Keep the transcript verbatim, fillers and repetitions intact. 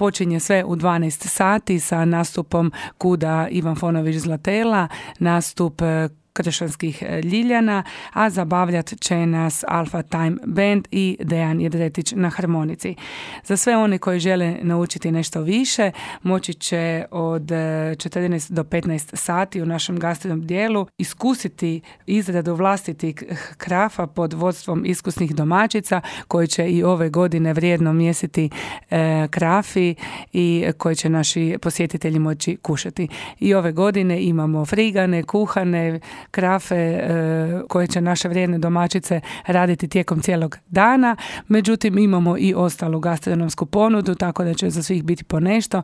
počinje sve u dvanaest sati sa nastupom Kuda Ivan Fonović Zlatela, nastup Kršanskih Ljiljana, a zabavljat će nas Alpha Time Band i Dejan Jedretić na harmonici. Za sve one koji žele naučiti nešto više, moći će od četrnaest do petnaest sati u našem gastrodom dijelu iskusiti izradu vlastitih krafa pod vodstvom iskusnih domaćica koji će i ove godine vrijedno mjesiti e, krafi i koji će naši posjetitelji moći kušati. I ove godine imamo frigane, kuhane, krafe e, koje će naše vrijedne domaćice raditi tijekom cijelog dana. Međutim, imamo i ostalu gastronomsku ponudu, tako da će za svih biti po nešto.